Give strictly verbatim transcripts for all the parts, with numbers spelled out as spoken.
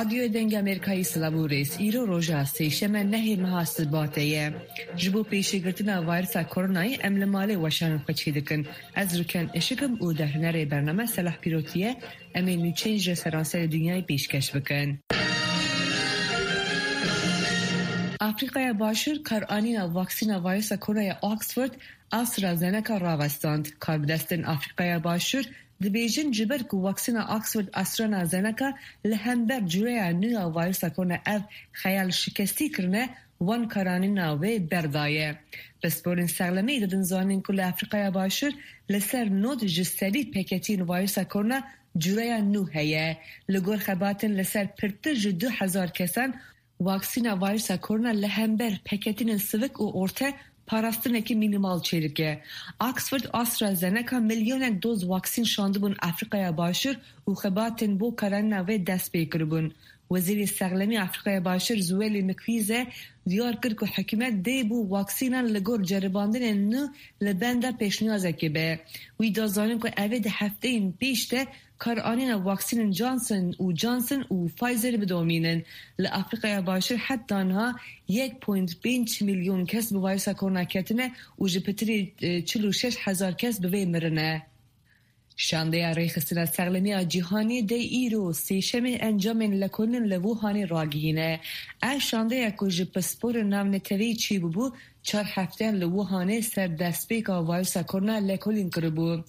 Radyoya Dengê Amerîkayê silav û rêz. Îro roja sêşeme nehê meha Sibatê ye. Ji bo pêşîgirtina vîrusa koronayê em li malê weşanên xwe çêdikin. Ez Rûken Işik im û derhênerê bername Selah Pîrotî ye. Em ê nûçeyên ji seranserê dinyayê pêşkeş bikin. Afrîkaya Başûr karanîna vaksîna vîrusa koronaya Oxford AstraZeneca ravestand. Karbidestên Afrîkaya Başûr dibêjin, ji ber ku vaksîna Oxford AstraZeneca li hember cureya nû ya vîrusa korona ev xeyal şikestî kirine, wan karanîna wê berdaye. Pisporên sexlemî didin zanîn ku li Afrîkaya Başûr li ser nod ji sedî peketiyên vîrusa korona cureya nû heye. Li gor xebatên li ser pirtir ji du hezar kesan, vaksîna vîrusa korona li hember peketînên sivik û orte parastinekî mînîmal çêdike. Oxford AstraZeneca milyonek doz vaksîn şandibûn Afrîkaya Başûr û xebatên bo karanîna wê dest pê kiribûn. Wezîrê Sexlemî Afrîkaya Başûr Zweli Mkhize diyar kir ku hikûmet dê bo vaksînan li gor ceribandinên nû li benda pêşniyazekê be. Wî da zanîn ku ev ê di hefteyên pêş de karanîna vaksînên Johnson û Johnson û Pfizer bidomînin. Li Afrîkaya Başûr heta niha yek point pênc milyon kes bi vîrusa korona ketine û ji pitirî, e, çil û şeş hezar kes bi vê mirine. Şandeya Rêxistina Sexlemiya Cîhanî dê îro sêşemê encamên lekolîn li Wuhanê ragihîne. Ev şandeya ku ji pisporên navneteweyî çêbûbû, çar hefteyan li Wuhanê ser destpêka vîrusa korona lekolîn kiribû.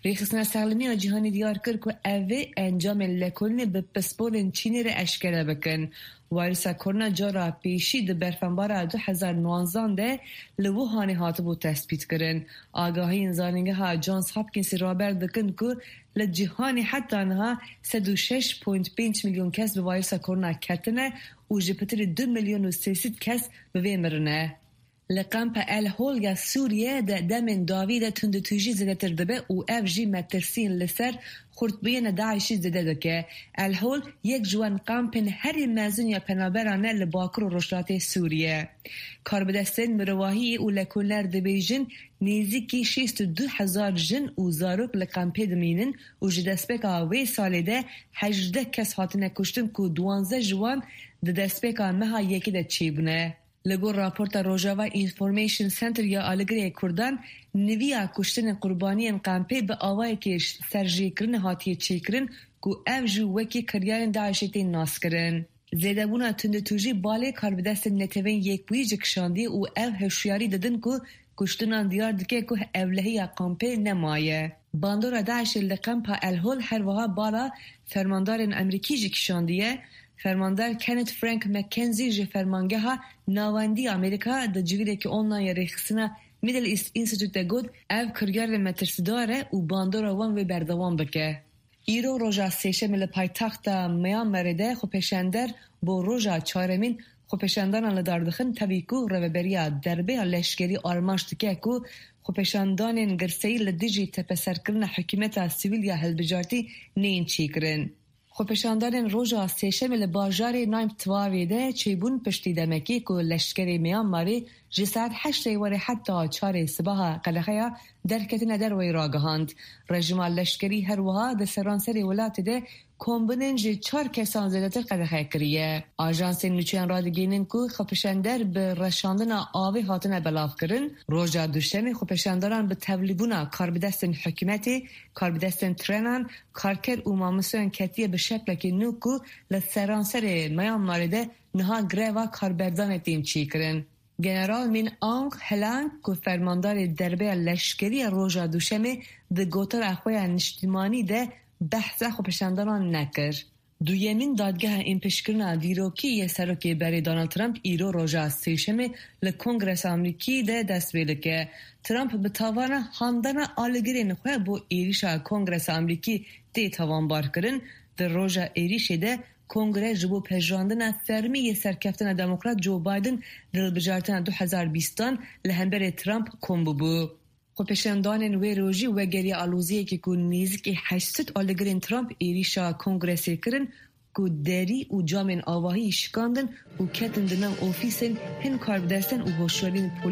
Rêxistina Sexlemiya Cîhanî diyar kir ku ev ê encamên lekolînê bi pisporên Çînê re eşkere bikin. Vîrusa korona cara pêşî di berfenbara du hezar nwanzan de li Wuhanê hatibû tespîtkirin. Agahiyên zanîngeha Johns Hopkinsê raber dikin ku li cîhanê heta niha sed û şeş point pênc milyon kes bi vîrusa korona ketine û ji pitirî du milyon û sê sed kes bi vê mirine. Li kampa El Hol ya Sûriye de demên dawî de tundûtûjî zêdetir dibe û ev jî metirsiyên li ser xurtbûyîna DAIŞ'î zêde dike. El Hol yek ji wan kampên herî mezin ya penaberan e li bakur û rojhilatê Sûriye. Karbidestên mirovahiyê û lekolîner dibêjin, nêzîkî şêst û du hezar jin û zarok li kampê dimînin û ji destpêka wê salê de hejdeh kes hatine kuştin ku duwanzeh ji wan di destpêka meha yekê de çêbûne. Li gor raporta Rojava Information Center ya Aligirê Kurdan, niviya kuştinên qurbaniyên kampê bi awayekê serjêkirinê hatiye çêkirin ku ev jî wekî kiryarên DAIŞ'ê tên naskirin. Zêdebûna tundûtûjî balê karbidestên Netewên Yekbûyî jî kişandiye û ev hişyarî didin ku kuştinan diyar dike ku ewlehiya kampê nemaye. Bandora DAIŞ'ê li kampa El Hol her wiha bala fermandarên Amerîkî jî kişandiye. Fermandar Kenneth Frank McKenzie ji Fermangeha Navendî Amerîka di civînekî online ya Rêxistina Middle East Institute de got, ev kiryarên metirsîdar e û bandora wan wê berdewam bike. Îro roja sêşemê li paytexta Myanmarê de xwepêşander bo roja çaremîn xwepêşandanan li dar dixin, tevî ku rêveberiya derbeya leşkerî armanc dike ku xwepêşandanên girseyî li dijî tepeserkirina hikûmeta sivîl ya hilbijartî neyên çêkirin. Xwepêşandanên roja sêşemê li bajarê Naim Twavê de çêbûn piştî demekê ku leşkerê Myanmarê ji saet heştê warê heta çarê sibaha qedexeya derketine derveyî ragihand. Rejîma leşkerî her wiha di seranserê welatê de kombinên ji çar kesan zêdetir qedexe kiriye. Ajansên nûçeyan radigihînin ku xwepêşander bi reşandina avê hatine belavkirin. Roja duşemê xwepêşandaran bi tevlîbûna karbidestên hikûmetê, karbidestên trenan, karker û mamosteyan ketiye bi şeklekî nû ku li seranserê Myanmarê de niha greva karberdanê tên çêkirin. General Min Aung Hlaing ku fermandarê derbeya leşkerî ya roja duşemê di gotara xwe ya niştimanî de behsa xwepêşandanan nekir. Duyemîn dadgeha ênpêşkirina dîrokî yê serokê berê Donald Trump îro roja sêşemê li Kongresa Amerîkî de dest pê dike. Trump bi tavana handana alîgirên xwe bo êrîşa Kongresa Amerîkî tê tawanbarkirin. Di roja êrîşê de Kongre ji bo pejirandina fermî yê serkeftina Demokrat Joe Biden di hilbijartina du hezar bîstan li hemberê Trump kom bûbû. Xwepêşandanên wê rojî wegeriya aloziyekê ku nêzîkî heşt sed alîgirên Trump êrîşa Kongresê kirin, ku derî û camên avahî şikandin û ketin di nav ofîsên hin karbidestan û hoşyariyên polîs.